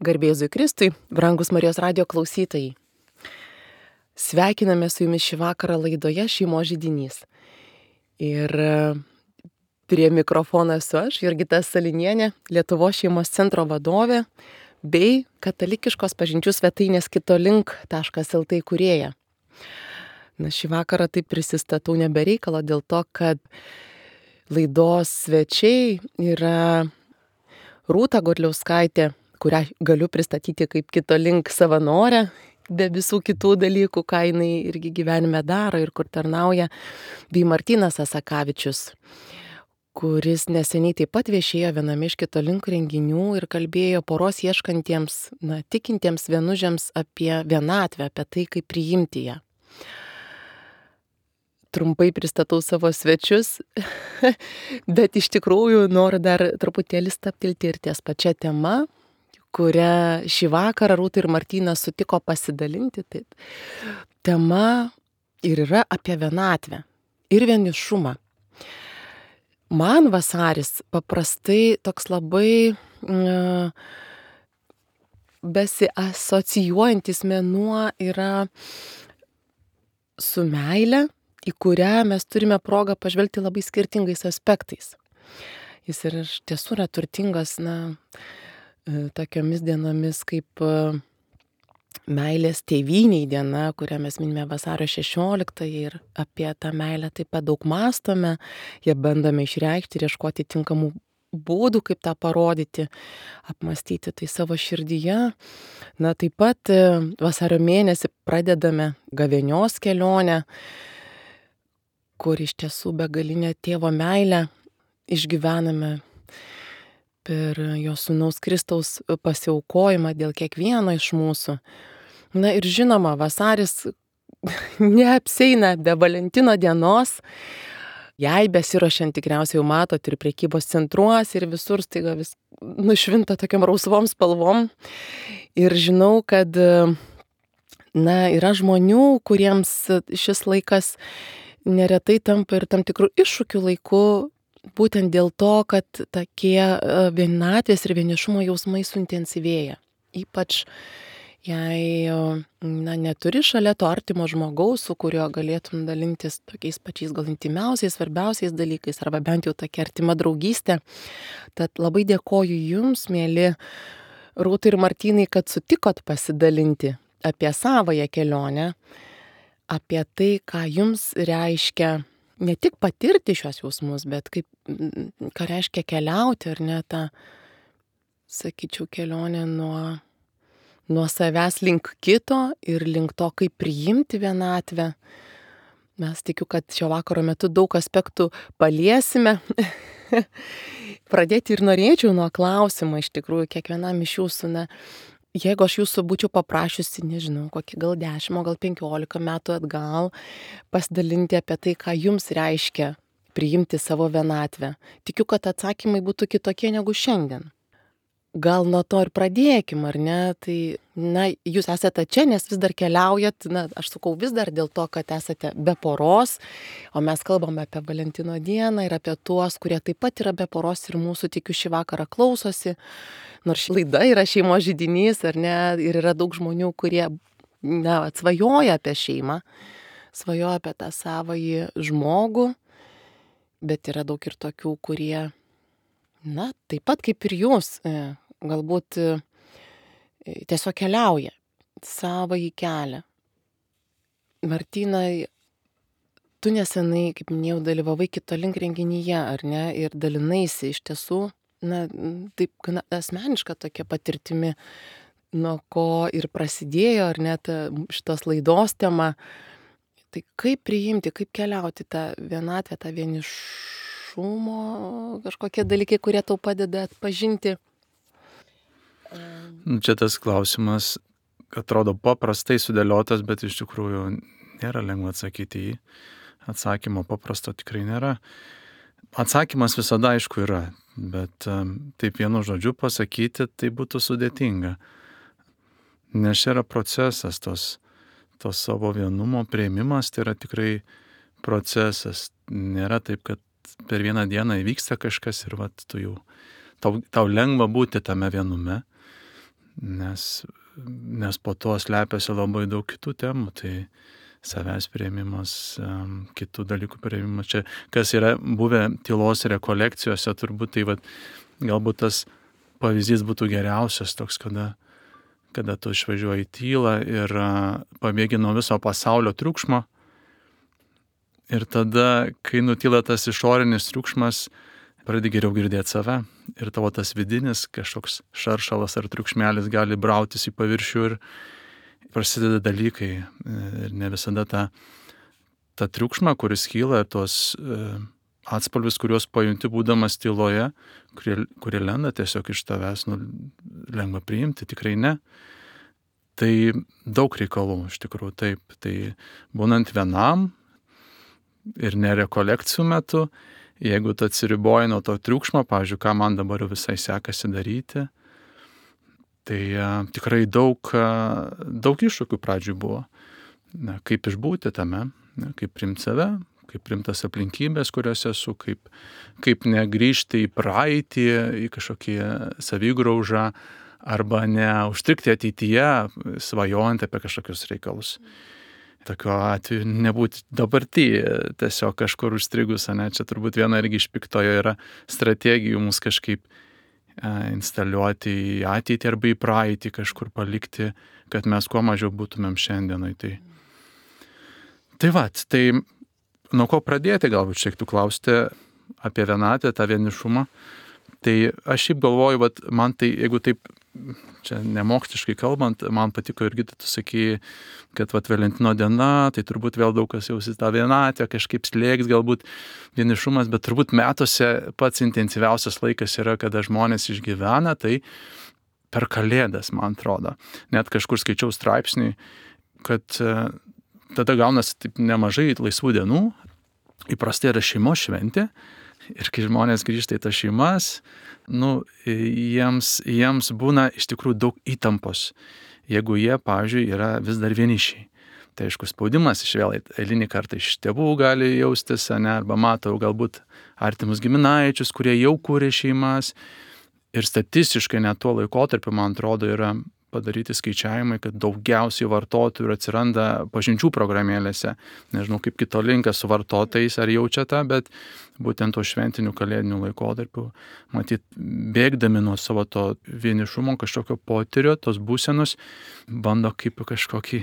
Garbė Jėzui Kristui, brangus Marijos radijo klausytojai. Sveikiname su jumis šį vakarą laidoje Šeimos židinys. Ir prie mikrofono esu aš, Jurgita Salinienė, Lietuvos šeimos centro vadovė bei katalikiškos pažinčių svetainės kitolink.lt įkūrėja. Šį vakarą taip prisistatau nebereikalo dėl to, kad laidos svečiai yra Rūta Godliauskaitė, kurią galiu pristatyti kaip kitolink savanorę, be visų kitų dalykų, ką jinai irgi gyvenime daro ir kur tarnauja, bei Martynas Asakavičius, kuris neseniai taip pat viešėjo viename iš kitolink renginių ir kalbėjo poros ieškantiems, tikintiems vienužiams apie vienatvę, apie tai, kaip priimti ją. Trumpai pristatau savo svečius, bet iš tikrųjų noriu dar truputėlį stabtelti ir ties pačia tema, kurią šį vakarą Rūta ir Martynas sutiko pasidalinti. Taip. Tema ir yra apie vienatvę ir vienišumą. Man vasaris paprastai toks labai besiasocijuojantis mėnuo yra su meile, į kurią mes turime progą pažvelgti labai skirtingais aspektais. Jis ir iš tiesų yra turtingas, tokiomis dienomis kaip meilės tėvynei diena, kurią mes minime vasario 16 ir apie tą meilę taip pat daug mąstome, ją bandome išreikšti ir ieškoti tinkamų būdų, kaip tą parodyti, apmąstyti tai savo širdyje. Taip pat vasario mėnesį pradedame gavėnios kelionę, kur iš tiesų begalinę tėvo meilę išgyvename per jo sūnaus Kristaus pasiaukojimą dėl kiekvieno iš mūsų. Ir žinoma, vasaris neapseina be Valentino dienos. Jai besiruošiant tikriausiai jau matot ir prekybos centruose ir visur staiga vis nušvinta tokiam rausvom spalvom. Ir žinau, kad yra žmonių, kuriems šis laikas neretai tampa ir tam tikrų iššūkių laiku, būtent dėl to, kad tokie vienatvės ir vienišumo jausmai suintensyvėja. Ypač jei neturi šalia to artimo žmogaus, su kuriuo galėtum dalintis tokiais pačiais gal intimiausiais, svarbiausiais dalykais, arba bent jau tokia artima draugystė. Tad labai dėkoju jums, mėly Rūta ir Martynai, kad sutikot pasidalinti apie savąją kelionę, apie tai, ką jums reiškia ne tik patirti šios jausmus, bet ką reiškia keliauti, ar ne tą, sakyčiau, kelionę nuo savęs link kito ir link to, kaip priimti vienatvę. Mes tikiu, kad šio vakaro metu daug aspektų paliesime. Pradėti ir norėčiau nuo klausimo, iš tikrųjų, kiekvienam iš jūsų, jeigu aš jūsų būčiau paprašiusi, nežinau, kokį gal 10, gal 15 metų atgal, pasidalinti apie tai, ką jums reiškia priimti savo vienatvę. Tikiu, kad atsakymai būtų kitokie negu šiandien. Gal nuo to ir pradėkim, ar ne? Tai, jūs esate čia, nes vis dar keliaujat, aš sakau vis dar dėl to, kad esate be poros, o mes kalbame apie Valentino dieną ir apie tuos, kurie taip pat yra be poros ir mūsų, tikiu, šį vakarą klausosi. Nors ši laida yra šeimos židinys, ar ne? Ir yra daug žmonių, kurie svajoja apie šeimą, svajoja apie tą savąjį žmogų, bet yra daug ir tokių, kurie, taip pat kaip ir jūs, galbūt tiesiog keliauja savąjį kelią. Martynai, tu nesenai, kaip minėjau, dalyvavai kitolink renginyje, ar ne? Ir dalinaisi iš tiesų, taip gana asmeniška tokia patirtimi, nuo ko ir prasidėjo, ar net šitos laidos tema. Tai kaip priimti, kaip keliauti tą vienatvę, tą vienišumo, kažkokie dalykai, kurie tau padeda atpažinti? Čia tas klausimas atrodo paprastai sudėliotas, bet iš tikrųjų nėra lengva atsakyti į jį. Atsakymo paprasto tikrai nėra. Atsakymas visada aišku yra, bet taip vienu žodžiu pasakyti tai būtų sudėtinga. Nes čia yra procesas, to savo vienumo priėmimas, tai yra tikrai procesas. Nėra taip, kad per vieną dieną įvyksta kažkas ir tu jau, tau lengva būti tame vienume. nes po to slepiasi labai daug kitų temų, tai savęs priėmimas, kitų dalykų priėmimas. Čia, kas yra buvę tylos rekolekcijose, turbūt tai galbūt tas pavyzdys būtų geriausias toks, kada tu išvažiuoji į tylą ir pabėgi nuo viso pasaulio triukšmo. Ir tada, kai nutyla tas išorinis triukšmas, pradedi geriau girdėti save. Ir tavo tas vidinis kažkoks šaršalas ar triukšmelis gali brautis į paviršių ir prasideda dalykai. Ir ne visada ta triukšma, kuris kyla, tos atspalvis, kuriuos pajunti būdamas tyloje, kurie lenda tiesiog iš tavęs, lengva priimti, tikrai ne. Tai daug reikalų, iš tikrųjų, taip. Tai būnant vienam ir nerekolekcijų metu, jeigu tu atsiriboji nuo to triukšmo, pavyzdžiui, ką man dabar visai sekasi daryti, tai tikrai daug iššūkių pradžioj buvo. Kaip išbūti tame, kaip priimti save, kaip priimtas aplinkybės, kuriuose esu, kaip negrįžti į praeitį, į kažkokį savigraužą, arba neužstrikti ateityje, svajojant apie kažkokius reikalus. Tokiu atveju nebūti dabartyje, tiesiog kažkur užstrigus, čia turbūt viena irgi iš piktojo yra strategijų mus kažkaip instaliuoti į ateitį arba į praeitį, kažkur palikti, kad mes kuo mažiau būtumėm šiandienai. Tai nuo ko pradėti, galbūt šiek tiek klausti apie vienatvę, tą vienišumą. Tai aš šiaip galvoju, man tai, jeigu taip, čia nemoksliškai kalbant, man patiko irgi, tu sakei, kad Valentino diena, tai turbūt vėl daug kas jausis tą vienatvę, kažkaip slėgs galbūt vienišumas, bet turbūt metuose pats intensyviausias laikas yra, kada žmonės išgyvena, tai per Kalėdas, man atrodo. Net kažkur skaičiau straipsnį, kad tada gaunasi taip nemažai laisvų dienų, įprastai yra šeimos šventė, ir kai žmonės grįžta į tas šeimas, jiems būna iš tikrųjų daug įtampos, jeigu jie, pavyzdžiui, yra vis dar vienišiai. Tai aišku, spaudimas vėl eilinį kartą iš tėvų gali jaustis, arba matau galbūt artimus giminaičius, kurie jau kūrė šeimas. Ir statistiškai net tuo laikotarpiu, man atrodo, yra padaryti skaičiavimai, kad daugiausiai vartotojų atsiranda pažinčių programėlėse. Nežinau, kaip kito linkas su vartotojais, ar jaučia tą, bet būtent to šventinių kalėdinių laikotarpių, matyt, bėgdami nuo savo to vienišumo kažkokio potyrio, tos būsenos, bando kaip kažkokį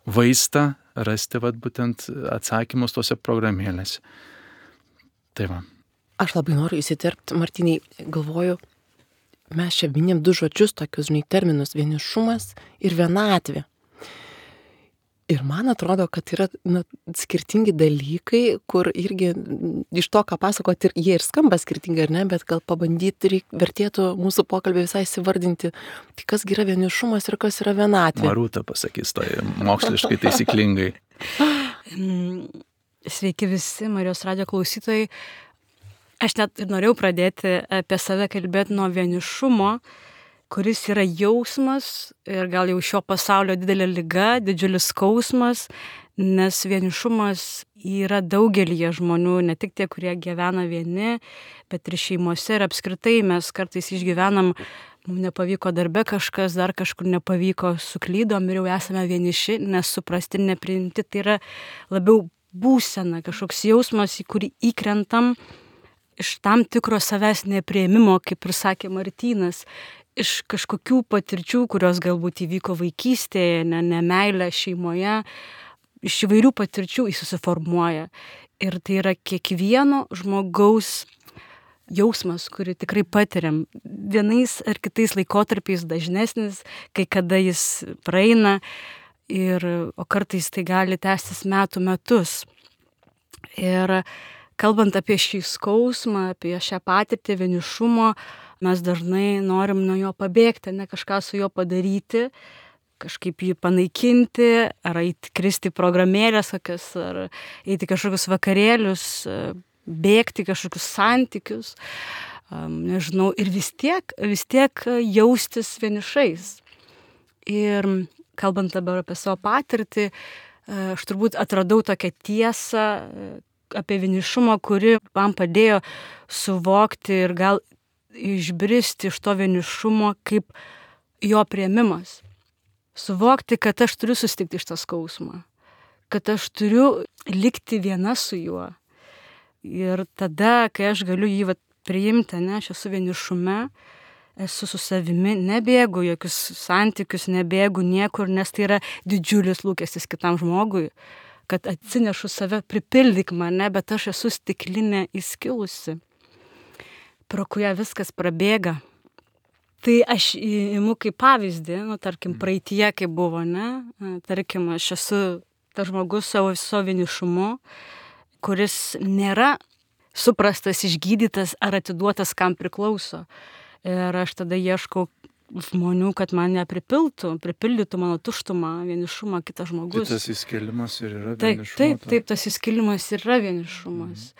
vaistą rasti būtent atsakymus tose programėlėse. Tai va. Aš labai noriu įsiterpti, Martynai, galvoju, mes čia minim du žodžius, tokius, terminus, vienišumas ir vienatvė. Ir man atrodo, kad yra skirtingi dalykai, kur irgi iš to, ką pasakot, jie ir skamba skirtingai, ar ne, bet gal pabandyti vertėtų mūsų pokalbį visai įsivardinti, tai kas yra vienišumas ir kas yra vienatvė. Marūta pasakys tai moksliškai taisyklingai. Sveiki visi Marijos radijo klausytojai. Aš net ir norėjau pradėti apie save kalbėti nuo vienišumo, kuris yra jausmas ir gal jau šio pasaulio didelė liga, didžiulis skausmas, nes vienišumas yra daugelyje žmonių, ne tik tie, kurie gyvena vieni, bet ir šeimose ir apskritai mes kartais išgyvenam, mums nepavyko darbe kažkas, dar kažkur nepavyko, suklydom ir jau esame vieniši, nesuprasti, nepriimti. Tai yra labiau būsena, kažkoks jausmas, į kurį įkrentam iš tam tikro savęs nepriėmimo, kaip ir sakė Martynas, iš kažkokių patirčių, kurios galbūt įvyko vaikystėje, nemeilė šeimoje, iš įvairių patirčių jis susiformuoja. Ir tai yra kiekvieno žmogaus jausmas, kurį tikrai patiriam. Vienais ar kitais laikotarpiais dažnesnis, kai kada jis praeina, o kartais tai gali tęstis metus. Ir kalbant apie šį skausmą, apie šią patirtį vienišumo, mes dažnai norim nuo jo pabėgti, ne kažką su juo padaryti, kažkaip jį panaikinti, ar kristi programėlės kokias, ar eiti kažkokius vakarėlius, bėgti kažkokius santykius, nežinau, ir vis tiek jaustis vienišais. Ir kalbant dabar apie savo patirtį, aš turbūt atradau tokią tiesą apie vienišumą, kuri man padėjo suvokti ir gal išbristi iš to vienišumo kaip jo priėmimas. Suvokti, kad aš turiu susitikti šitą skausmą, kad aš turiu likti viena su juo. Ir tada, kai aš galiu jį priimti, ne, aš esu vienišume, esu su savimi, nebėgu jokius santykius, nebėgu niekur, nes tai yra didžiulis lūkestis kitam žmogui, kad atsinešu save, pripildyk mane, bet aš esu stiklinė įskilusi, pro kurią viskas prabėga. Tai aš imu kaip pavyzdį, tarkim, praeitie, kai buvo, ne, tarkim, aš esu tas žmogus savo vienišumu, kuris nėra suprastas, išgydytas ar atiduotas, kam priklauso. Ir aš tada ieškau žmonių, kad man pripildytų mano tuštumą, vienišumą kitas žmogus. Tai tas įskilimas ir yra vienišumas. Taip, tas įskilimas ir yra vienišumas.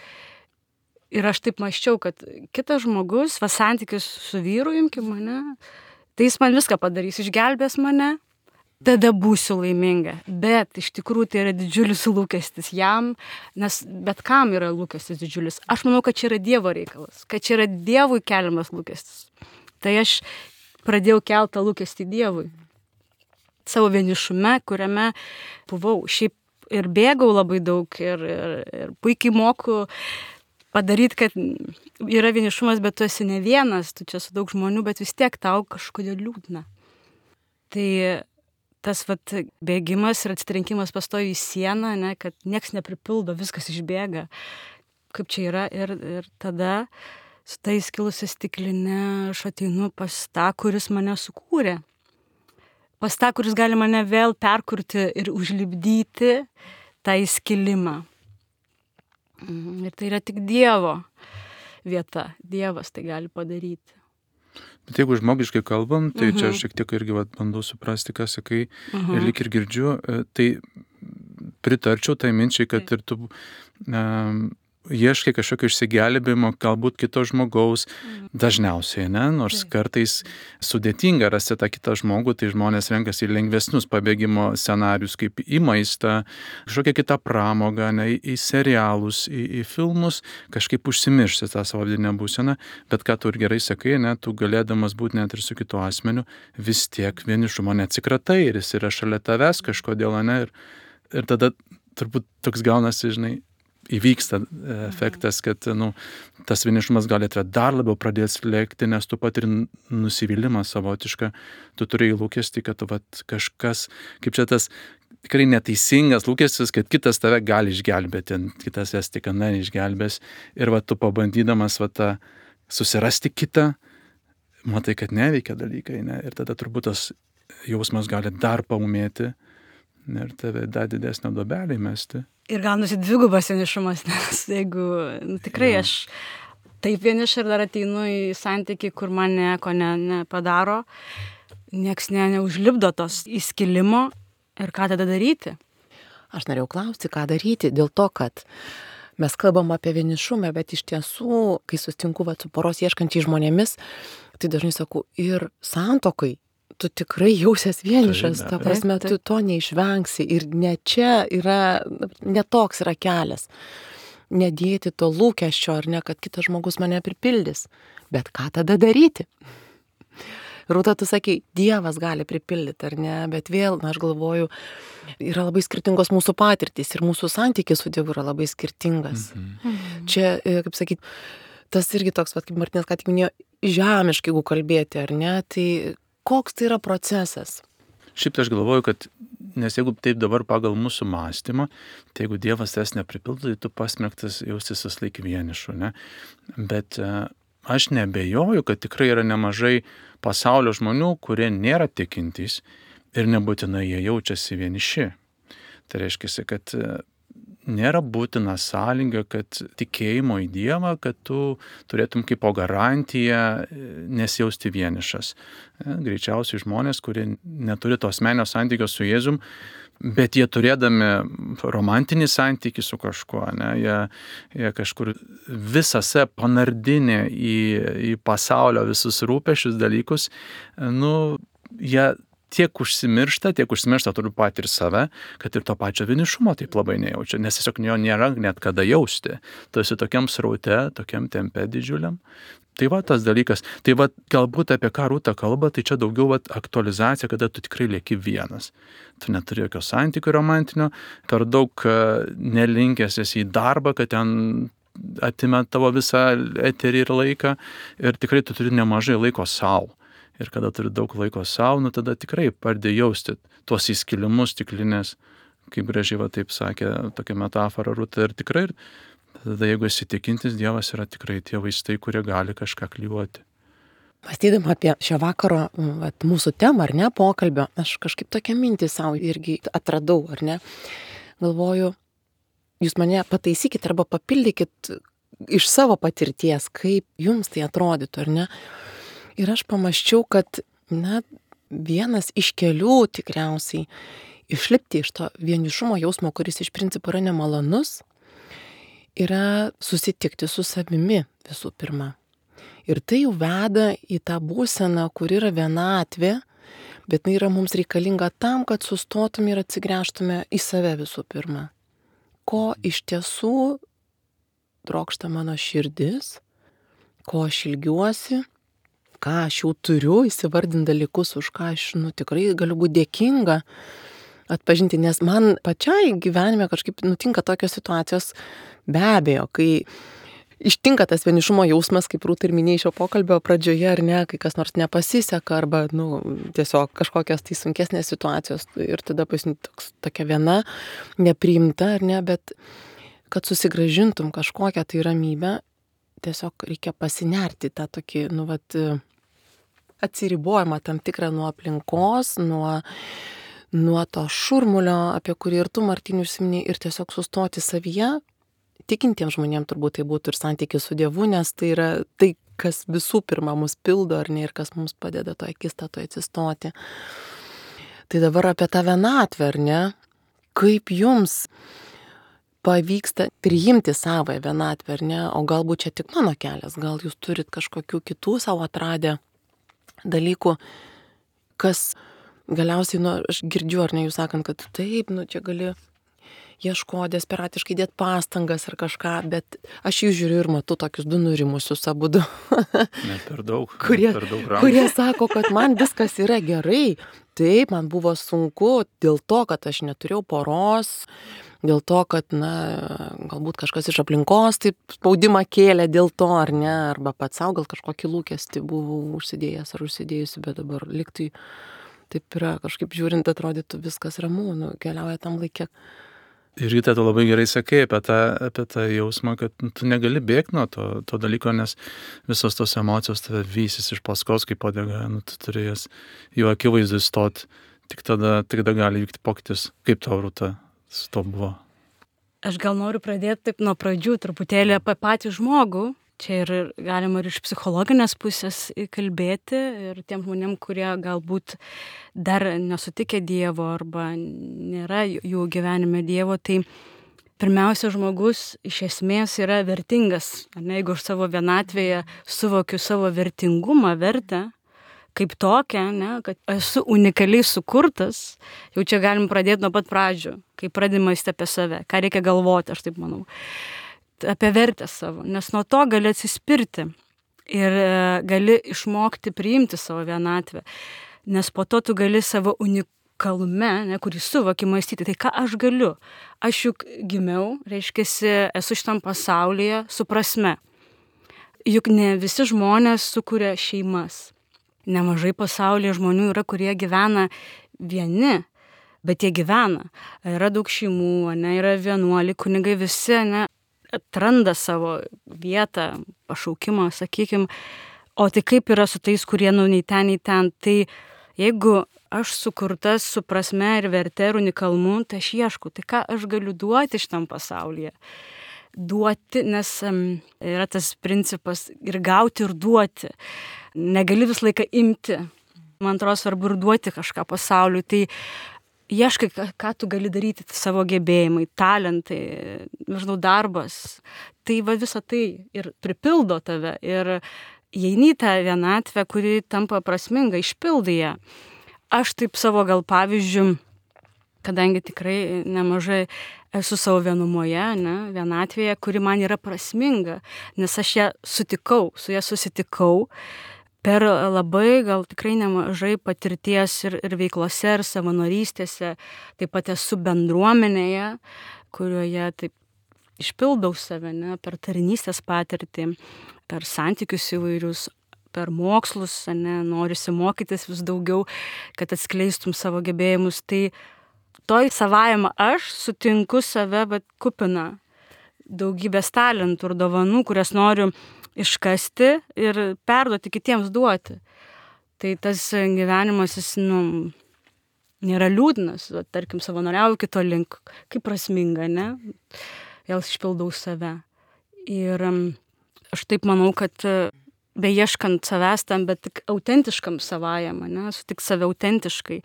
Ir aš taip mąsčiau, kad kitas žmogus, santykis su vyru, imkim mane, tai jis man viską padarys, išgelbės mane, tada būsiu laiminga. Bet iš tikrųjų tai yra didžiulis lūkestis jam, nes bet kam yra lūkestis didžiulis. Aš manau, kad čia yra Dievo reikalas, kad čia yra Dievui keliamas lūkestis. Tai aš pradėjau keltą lūkestį Dievui. Savo vienišume, kuriame buvau. Šiaip ir bėgau labai daug ir puikiai moku padaryti, kad yra vienišumas, bet tu esi ne vienas, tu čia su daug žmonių, bet vis tiek tau kažkodėl liūdna. Tai tas bėgimas ir atsitrenkimas pastovi į sieną, ne, kad nieks nepripildo, viskas išbėga. Kaip čia yra ir tada su tai įskilusia stikline aš ateinu pas tą, kuris mane sukūrė. Pas tą, kuris gali mane vėl perkurti ir užlipdyti tą įskilimą. Ir tai yra tik Dievo vieta. Dievas tai gali padaryti. Bet jeigu žmogiškai kalbam, tai čia aš šiek tiek irgi bandau suprasti, ką sakai, ir lyg ir girdžiu, tai pritarčiau tai minčiai, kad ir tu ieškai kažkokio išsigelbėjimo, galbūt kito žmogaus, dažniausiai, ne, nors kartais sudėtinga rasti tą kitą žmogų, tai žmonės renkasi į lengvesnius pabėgimo scenarius, kaip į maistą, kažkokią kitą pramogą, ne, į serialus, į filmus, kažkaip užsimiršti tą savo vidinę būseną, bet ką tu ir gerai sakai, ne, tu galėdamas būti net ir su kitu asmeniu, vis tiek vienišumo neatsikratai ir jis yra šalia tavęs kažkodėl, ne, ir tada turbūt toks gaunasi, žinai, įvyksta efektas, kad tas vienišumas gali dar labiau pradės lėkti, nes tu patiri nusivylimą savotišką, tu turėjai lūkestį, kad kažkas, kaip čia tas tikrai neteisingas lūkestis, kad kitas tave gali išgelbėti, kitas jas tik neišgelbės ir tu pabandydamas susirasti kitą, matai, kad neveikia dalykai, ne? Ir tada turbūt tas jausmas gali dar paumėti ir tave dar didesnę duobelę įmesti. Ir gaunasi dvigubas vienišumas, nes jeigu tikrai aš taip vieniša ir dar ateinu į santykį, kur man nieko nepadaro, nieks neužlipdo tos įskilimo ir ką tada daryti? Aš norėjau klausti, ką daryti, dėl to, kad mes kalbam apie vienišumą, bet iš tiesų, kai sutinku su poros ieškančiai žmonėmis, tai dažnai sakau, ir santuokai tu tikrai jausies vienišas, ta prasme, tu to neišvengsi ir netoks yra kelias. Nedėti to lūkesčio, ar ne, kad kitas žmogus mane pripildys. Bet ką tada daryti? Rūta, tu sakei, Dievas gali pripildyti, ar ne, bet vėl, aš galvoju, yra labai skirtingos mūsų patirtys ir mūsų santykis su Dievu yra labai skirtingas. Čia, kaip sakyt, tas irgi toks, kaip Martinas ką tik minėjo, žemiškai, jeigu kalbėti, ar ne, tai koks tai yra procesas? Šiaip tai aš galvoju, kad, nes jeigu taip dabar pagal mūsų mąstymą, tai jeigu Dievas tas nepripildo, tai tu pasmerktas jaustis vis laik vienišu, ne? Bet aš nebejoju, kad tikrai yra nemažai pasaulio žmonių, kurie nėra tikintys ir nebūtinai jie jaučiasi vieniši. Tai reiškia, kad nėra būtina sąlyga, kad tikėjimo į Dievą, kad tu turėtum kaip po garantiją nesijausti vienišas. Greičiausiai žmonės, kurie neturi to asmeninio santykio su Jėzum, bet jie turėdami romantinį santykį su kažkuo, ne, jie kažkur visose panardinė į pasaulio visus rūpesčius dalykus, jie tiek užsimiršta turiu patį ir save, kad ir to pačio vienišumo taip labai nejaučia, nes tiesiog jo nėra net kada jausti. Tu esi tokiam sraute, tokiam tempe didžiuliam Tai va tas dalykas. Tai va galbūt apie ką Rūta kalba, tai čia daugiau va aktualizacija, kada tu tikrai lieki vienas. Tu neturi jokio santykio romantinio, per daug nelinkęs esi į darbą, kad ten atima tavo visą eterį ir laiką ir tikrai tu turi nemažai laiko savo. Ir kada turi daug laiko savo, nu tada tikrai pradedi jausti tuos įskilimus stiklinės, kaip gražiai va taip sakė, tokia metafora Rūta. Ir tikrai, tada jeigu esi tikintis, Dievas yra tikrai tie vaistai, kurie gali kažką klijuoti. Mąstydama apie šio vakaro mūsų temą, ar ne, pokalbio, aš kažkaip tokią mintį savo irgi atradau, ar ne. Galvoju, jūs mane pataisykit arba papildykit iš savo patirties, kaip jums tai atrodytų, ar ne. Ir aš pamąsčiau, kad, na, vienas iš kelių tikriausiai išlipti iš to vienišumo jausmo, kuris iš principo yra nemalonus, yra susitikti su savimi visų pirma. Ir tai jau veda į tą būseną, kur yra vienatvė, bet tai yra mums reikalinga tam, kad sustotume ir atsigręžtume į save visų pirma. Ko iš tiesų trokšta mano širdis, ko aš ilgiuosi, ką aš jau turiu, įsivardint dalykus, už ką aš tikrai galiu būti dėkinga atpažinti, nes man pačiai gyvenime kažkaip nutinka tokios situacijos, be abejo, kai ištinka tas vienišumo jausmas, kaip Rūta ir minėjai šio pokalbio pradžioje, ar ne, kai kas nors nepasiseka, arba tiesiog kažkokios tai sunkesnės situacijos ir tada tokia viena nepriimta, ar ne, bet kad susigrąžintum kažkokią tai ramybę, tiesiog reikia pasinerti tą tokį, atsiribojimą tam tikrą nuo aplinkos, nuo to šurmulio, apie kurį ir tu, Martynai, užsiminei, ir tiesiog sustoti savyje. Tikintiems žmonėms turbūt tai būtų ir santykis su Dievu, nes tai yra tai, kas visų pirma mus pildo, ar ne, ir kas mums padeda to akistatoje atsistoti. Tai dabar apie tą vienatvę, ar ne, kaip jums pavyksta priimti savąją vienatvę, ar ne, o galbūt čia tik mano kelias, gal jūs turit kažkokių kitų savo atradę dalykų, kas galiausiai, aš girdžiu, ar ne, jūs sakant, kad taip, čia gali ieško desperatiškai dėti pastangas ar kažką, bet aš jų žiūriu ir matau tokius du nurimusius abudu. Ne per daug. Kurie sako, kad man viskas yra gerai. Taip, man buvo sunku dėl to, kad aš neturėjau poros, dėl to, kad, galbūt kažkas iš aplinkos taip spaudimą kėlė dėl to, ar ne, arba pats savo gal kažkokį lūkestį buvau užsidėjęs ar užsidėjusi, bet dabar liktai taip yra, kažkaip žiūrint atrodytų viskas ramu, keliauja tam laikė. Ir Ryta, tu labai gerai sakai apie tą jausmą, kad tu negali bėgti nuo to dalyko, nes visos tos emocijos tave vysis iš paskos kaip uodega, tu turi jas jų akivaizdui stoti, tik tada gali vykti pokytis. Kaip tau, Rūta, su to buvo? Aš gal noriu pradėti taip nuo pradžių truputėlį apie patį žmogų. Čia ir galima ir iš psichologinės pusės kalbėti ir tiem žmonėm, kurie galbūt dar nesutikė Dievo arba nėra jų gyvenime Dievo, tai pirmiausia, žmogus iš esmės yra vertingas. Jeigu aš savo vienatvėje suvokiu savo vertingumą, vertę, kaip tokią, kad esu unikaliai sukurtas, jau čia galim pradėti nuo pat pradžių, kai pradėjai mąstyti apie save, ką reikia galvoti, aš taip manau. Apie vertę savo, nes nuo to gali atsispirti ir gali išmokti priimti savo vienatvę, nes po to tu gali savo unikalume, kurį suvoki, mąstyti, tai ką aš galiu. Aš juk gimiau, reiškiasi, esu šitam pasaulyje su prasme. Juk ne visi žmonės sukuria šeimas. Nemažai pasaulyje žmonių yra, kurie gyvena vieni, bet jie gyvena. Yra daug šeimų, yra vienuoliai, kunigai visi, atranda savo vietą, pašaukimą, sakykime, o tai kaip yra su tais, kurie nei ten, tai jeigu aš sukurtas su prasme ir verte ir unikalumu, tai aš ieškau, tai ką aš galiu duoti šitam pasaulyje. Duoti, nes yra tas principas ir gauti ir duoti. Negali visą laiką imti. Man atrodo, svarbu ir duoti kažką pasauliui, tai ieškai, ką tu gali daryti, savo gebėjimai, talentai, darbas. Tai visą tai ir pripildo tave ir įeini į tą vienatvę, kuri tampa prasminga, išpildai ją. Aš taip savo gal pavyzdžių, kadangi tikrai nemažai esu savo vienumoje, ne, vienatvėje, kuri man yra prasminga, nes aš ją sutikau, su ją susitikau per labai gal tikrai nemažai patirties ir veiklose, ir savanorystėse, taip pat esu bendruomenėje, kurioje taip išpildau save, ne, per tarnystės patirtį, per santykius įvairius, per mokslus, ne, norisi mokytis vis daugiau, kad atskleistum savo gebėjimus. Tai toj savajame aš sutinku save, bet kupina daugybės talentų ir dovanų, kurias noriu iškasti ir perduoti kitiems duoti. Tai tas gyvenimas, jis, nėra liūdnas, tarkim, savanoriauju kito link, kaip prasminga, ne? Vėl išpildau save. Ir aš taip manau, kad beieškant savęs tam, bet tik autentiškam savajam, ne? Sutik save autentiškai,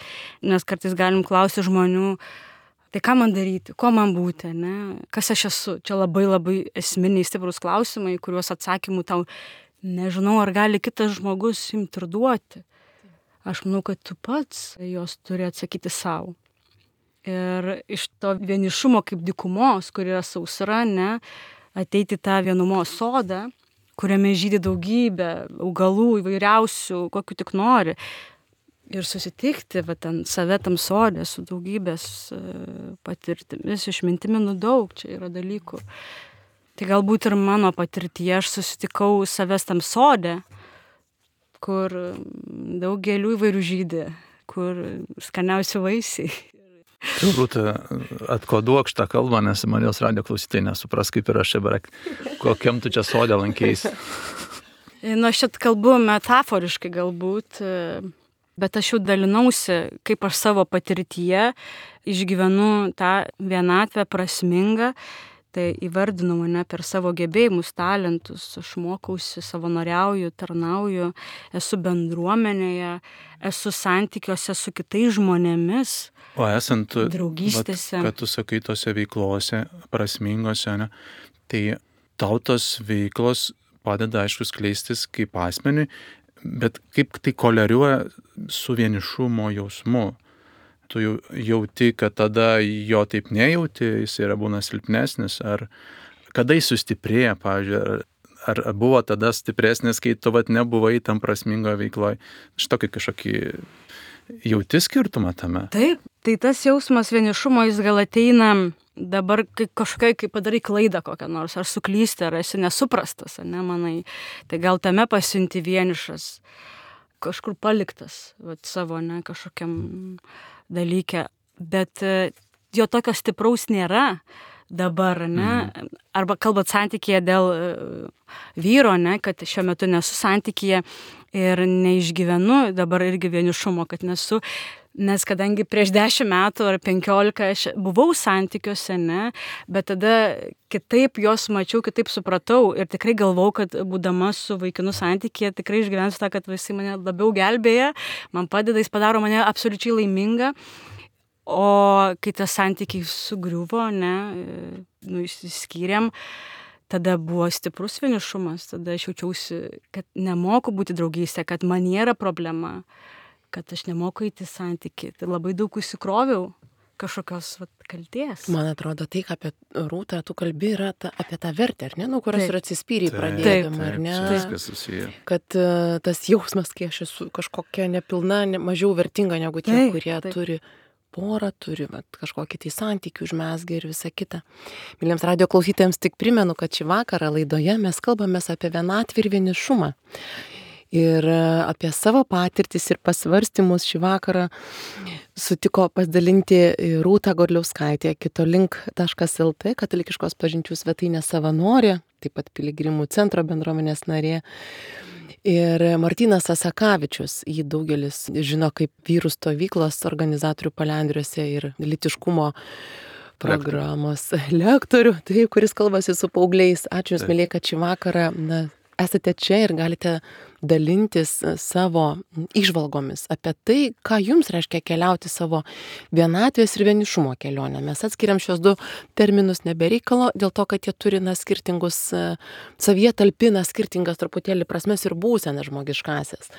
nes kartais galim klausyti žmonių, tai ką man daryti, ko man būti, ne? Kas aš esu. Čia labai labai esminiai stiprus klausimai, kuriuos atsakymų tau nežinau, ar gali kitas žmogus imti ir duoti. Aš manau, kad tu pats jos turi atsakyti savo. Ir iš to vienišumo kaip dykumos, kur yra sausra, ne, ateiti tą vienumos sodą, kuriame žydi daugybė augalų įvairiausių, kokių tik nori. Ir susitikti, ten save tam sodė su daugybės patirtimis, išmintimi, daug čia yra dalykų. Tai galbūt ir mano patirtyje aš susitikau savęs tam sodė, kur daug gėlių įvairių žydi, kur skaniausi vaisiai. Rūta, atkoduok šitą kalbą, nes Marijos radijo klausytojai nesupras, kaip ir aš čia beveik, kokiam tu čia sodė lankeisi. Aš čia kalbu metaforiškai galbūt, bet aš jau dalinausi, kaip aš savo patirtyje išgyvenu tą vienatvę prasmingą, tai įvardinau mane per savo gebėjimus, talentus, aš mokausi, savanoriauju, tarnauju, esu bendruomenėje, esu santykiuose su kitais žmonėmis, o esant draugystėse. Kad tu sakai tose veiklose, prasmingose, ne, tai tau tos veiklos padeda, aišku, skleistis kaip asmeniui, bet kaip tai koleriuoja su vienišumo jausmu. Tu jauti, kad tada jo taip nejauti, jis yra būna silpnesnis, ar kada jis sustiprėja, pavyzdžiui, ar buvo tada stipresnis, kai tu nebuvai tam prasmingoje veikloje. Šitokį kažkokį jauti skirtumą tame. Taip, tai tas jausmas vienišumo jis gal ateina dabar kažkokia, kai padarai klaidą kokią nors, ar suklysti, ar esi nesuprastas, ne, manai. Tai gal tame pasiunti vienišas, kažkur paliktas, savo, ne, kažkokiam dalyke, bet jo tokio stipraus nėra dabar, ne, arba kalbant santykėje dėl vyro, ne, kad šiuo metu nesu santykyje ir neišgyvenu dabar irgi vienišumo, kad nesu, nes kadangi prieš 10 metų ar 15 aš buvau santykiuose, ne, bet tada kitaip jos mačiau, kitaip supratau ir tikrai galvau, kad būdama su vaikinu santykyje tikrai išgyvensiu tą, kad visi mane labiau gelbėja, man padeda, jis padaro mane absoliučiai laimingą, o kai tas santykiai sugriuvo, ne, išsiskyrėm, tada buvo stiprus vienišumas, tada aš jaučiausi, kad nemoku būti draugystė, kad man nėra problema, kad aš nemoku eiti santykį. Tai labai daug įsikroviau kažkokios kaltės. Man atrodo, tai, ką apie Rūtą tu kalbi, yra apie tą vertę, ar ne, nuo kurios ir atsispyriai pradėdama, ar ne? Viskas susiję. Kad tas jausmas, kai aš esu kažkokia nepilna, mažiau vertinga negu tie, kurie turi porą, turi kažkokį tai santykių užmezgę ir visą kitą. Myliems radijo klausytojams tik primenu, kad šį vakarą laidoje mes kalbamės apie vienatvę ir vienišumą. Ir apie savo patirtis ir pasvarstymus šį vakarą sutiko pasidalinti Rūta Godliauskaitė, kitolink.lt, katalikiškos pažinčių svetainės savanorė, taip pat Piligrimų centro bendruomenės narė. Ir Martynas Asakavičius, jį daugelis žino kaip vyrų stovyklos organizatorių Palendriuose ir lytiškumo programos lektorių, tai kuris kalbasi su paaugliais. Ačiū Jums, mėlyje, kad šį vakarą esate čia ir galite dalintis savo įžvalgomis apie tai, ką Jums reiškia keliauti savo vienatvės ir vienišumo kelionę. Mes atskiriam šios du terminus nebereikalo, dėl to, kad jie turi skirtingus, savyje talpina skirtingas truputėlį prasmes ir būsenas žmogiškasias.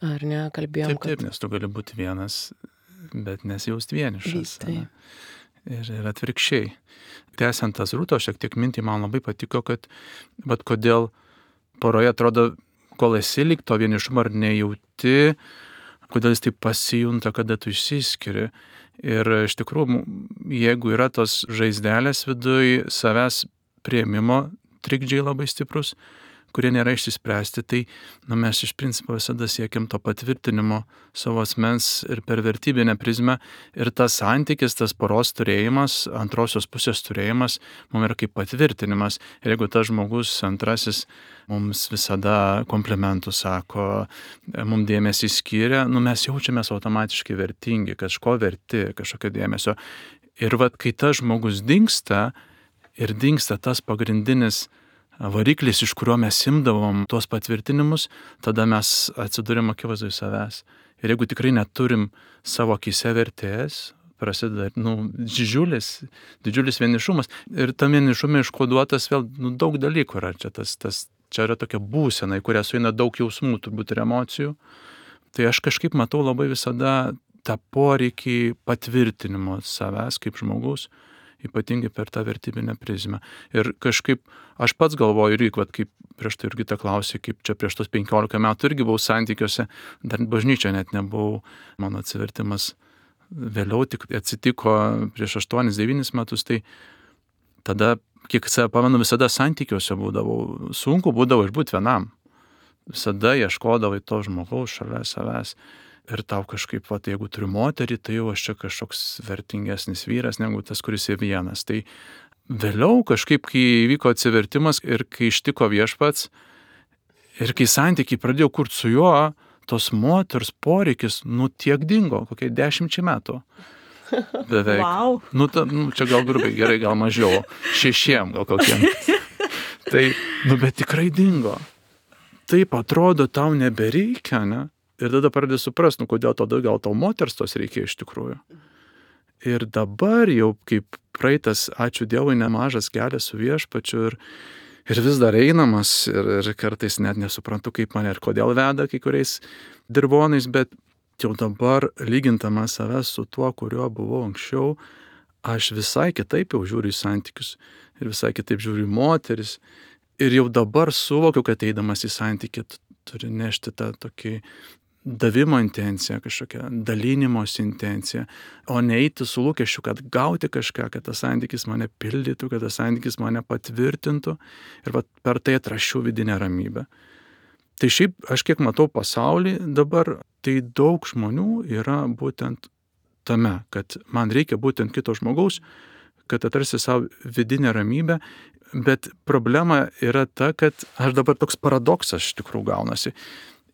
Ar ne, kalbėjom, taip, nes tu gali būti vienas, bet nesijausti vienišas. ir atvirkščiai. Tęsiant tas Rūtos šiek tiek mintį, man labai patiko, kad kodėl poroje atrodo, kol esi lyg to vienišumo ar nejauti, kodėl jis taip pasijunta, kada tu išsiskiri. Ir iš tikrųjų, jeigu yra tos žaizdelės viduj, savęs priėmimo trikdžiai labai stiprus, kurie nėra išsispręsti, tai mes iš principo visada siekiam to patvirtinimo savo asmens ir per vertybinę prizmę. Ir tas santykis, tas poros turėjimas, antrosios pusės turėjimas, mums yra kaip patvirtinimas. Ir jeigu tas žmogus antrasis mums visada komplimentų sako, mums dėmesį skiria, mes jaučiamės automatiškai vertingi, kažko verti, kažkokio dėmesio. Ir kai tas žmogus dingsta ir dingsta tas pagrindinis variklis, iš kurio mes imdavom tuos patvirtinimus, tada mes atsidūrėm akivaizdoj savęs. Ir jeigu tikrai neturim savo akyse vertės, prasideda didžiulis vienišumas. Ir tam vienišume iškoduotas vėl daug dalykų yra. Čia yra tokia būsena, į kurią sueina daug jausmų, turbūt ir emocijų. Tai aš kažkaip matau labai visada tą poreikį patvirtinimo savęs kaip žmogus, ypatingai per tą vertybinę prizmę. Ir kažkaip aš pats galvoju, kaip prieš tai Jurgita klausė, kaip čia prieš tos 15 metų irgi buvau santykiuose, dar bažnyčia net nebuvau, mano atsivertimas vėliau tik atsitiko prieš 8-9 metus, tai tada, kiek save pamenu, visada santykiuose būdavau, sunku būdavo išbūti vienam. Visada ieškodavai to žmogaus šalia savęs. Ir tau kažkaip, jeigu turiu moterį, tai jau aš čia kažkoks vertingesnis vyras negu tas, kuris yra vienas. Tai vėliau kažkaip, kai įvyko atsivertimas ir kai ištiko Viešpats ir kai santykiai pradėjau kurti su juo, tos moters poreikis, tiek dingo, kokie 10 metų. Beveik. Wow. Čia gal grubiai, gerai, gal mažiau. 6 gal kokiem. Tai, bet tikrai dingo. Taip atrodo, tau nebereikia, ne? Ir tada pradedi suprasti, kodėl tada gal tau moters tos reikia iš tikrųjų. Ir dabar jau kaip praeitas, ačiū Dievui, nemažas kelias su Viešpačiu ir vis dar einamas ir kartais net nesuprantu, kaip mane ir kodėl veda kai kuriais dirvonais, bet jau dabar lygintamas savęs su tuo, kuriuo buvau anksčiau, aš visai kitaip jau žiūriu į santykius ir visai kitaip žiūriu į moteris. Ir jau dabar suvokiu, kad eidamas į santykį turi nešti tą tokį davimo intenciją, kažkokią dalinimosi intenciją, o neiti su lūkesčiu, kad gauti kažką, kad tas santykis mane pildytų, kad tas santykis mane patvirtintų ir per tai atraščiau vidinę ramybę. Tai šiaip aš kiek matau pasaulį dabar, tai daug žmonių yra būtent tame, kad man reikia būtent kito žmogaus, kad atrasti savo vidinę ramybę, bet problema yra ta, kad aš dabar toks paradoksas iš tikrųjų gaunasi.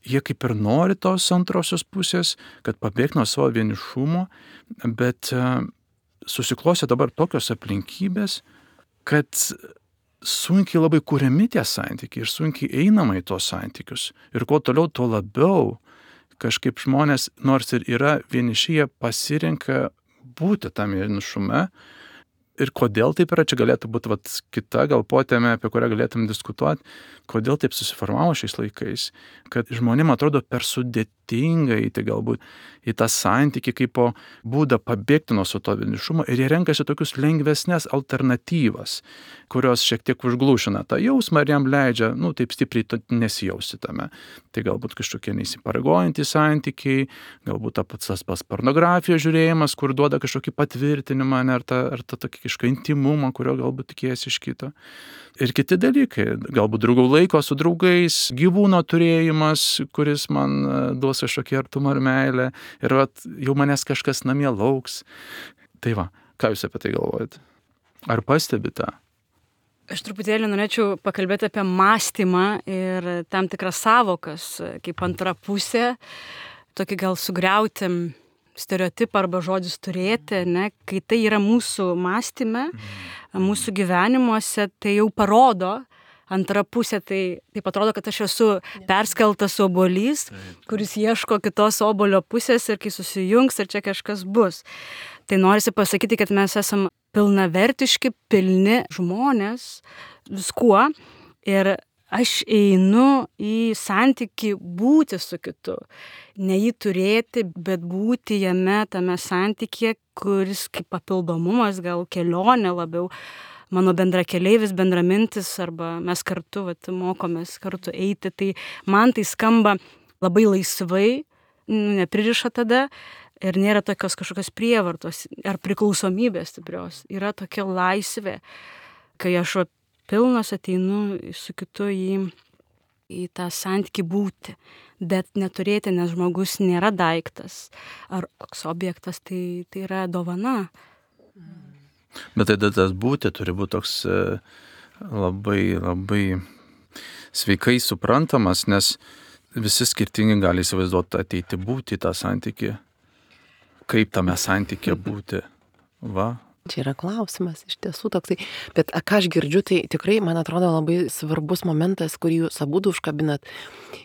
Jie kaip ir nori tos antrosios pusės, kad pabėgti nuo savo vienišumo, bet susiklostė dabar tokios aplinkybės, kad sunkiai labai kuriami tie santykiai ir sunkiai einama į tos santykius. Ir kuo toliau, tuo labiau kažkaip žmonės, nors ir yra vieniši, jie pasirenka būti tam vienišume. Ir kodėl taip yra, čia galėtų būti kita gal potėmė, apie kurią galėtum diskutuoti, kodėl taip susiformavo šiais laikais, kad žmonėm atrodo per sudėtinga įti galbūt į tą santykį kaip po būdą pabėgti nuo to vienišumo ir jie renkasi tokius lengvesnės alternatyvas, kurios šiek tiek užglūšina tą jausmą ir jam leidžia, taip stipriai nesijausti tame. Tai galbūt kažkokie neįsipareigojantys santykiai, galbūt tas pornografijos žiūrėjimas, kur duoda kažkokį patvirtinimą, ar tą tokį kažkokį intimumą, kurio galbūt tikėjasi iš kito. Ir kiti dalykai, galbūt draugų laiko su draugais, gyvūno turėjimas, kuris man duos kažkokį artumą ar meilę, ir jau manęs kažkas namie lauks. Tai ką jūs apie tai galvojate? Ar pastebite? Aš truputėlį norėčiau pakalbėti apie mąstymą ir tam tikras savokas, kaip antra pusė, tokį gal sugriauti stereotipą arba žodžius turėti, ne? Kai tai yra mūsų mąstyme, mūsų gyvenimuose, tai jau parodo antra pusė, tai atrodo, kad aš esu perskeltas obuolys, kuris ieško kitos obuolio pusės ir kai susijungs ir čia kažkas bus. Tai norisi pasakyti, kad mes esam pilnavertiški, pilni žmonės viskuo ir aš einu į santykį būti su kitu. Ne jį turėti, bet būti jame, tame santykė, kuris kaip papildomumas, gal kelionė labiau, mano bendrakeleivis, bendramintis, arba mes kartu mokomės kartu eiti. Tai man tai skamba labai laisvai, nepririša tada ir nėra tokios kažkokios prievartos ar priklausomybės stiprios. Yra tokia laisvė, kai aš pilnas ateinu su kitu į tą santykį būti, bet neturėti, nes žmogus nėra daiktas ar koks objektas, tai yra dovana. Bet tada tas būti turi būti toks labai, labai sveikai suprantamas, nes visi skirtingi gali įsivaizduoti ateiti būti į tą santykį. Kaip tame santykė būti? Va. Čia yra klausimas, iš tiesų toksai. Bet ką aš girdžiu, tai tikrai, man atrodo, labai svarbus momentas, kurį jūs abudu užkabinat.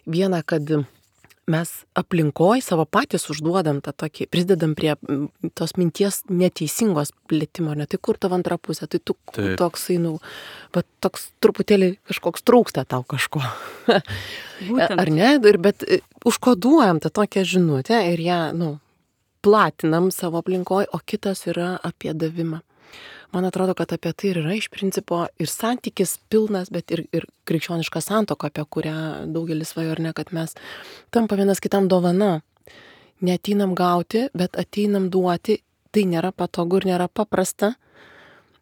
Viena, kad mes aplinkoj savo patys užduodam tą tokį, prisidedam prie tos minties neteisingos plėtimo, ne tai kur tavo antra pusė, tai tu toksai, va toks truputėlį kažkoks trūksta tau kažko. Ar ne? Bet užkoduojam tą tokią žinutę ir ją, platinam savo aplinkoj, o kitas yra apie davimą. Man atrodo, kad apie tai ir yra iš principo ir santykis pilnas, bet ir krikščioniška santuoka, apie kurią daugelis svajoja, ar ne, kad mes tampa vienas kitam dovana. Neateinam gauti, bet ateinam duoti, tai nėra patogu ir nėra paprasta.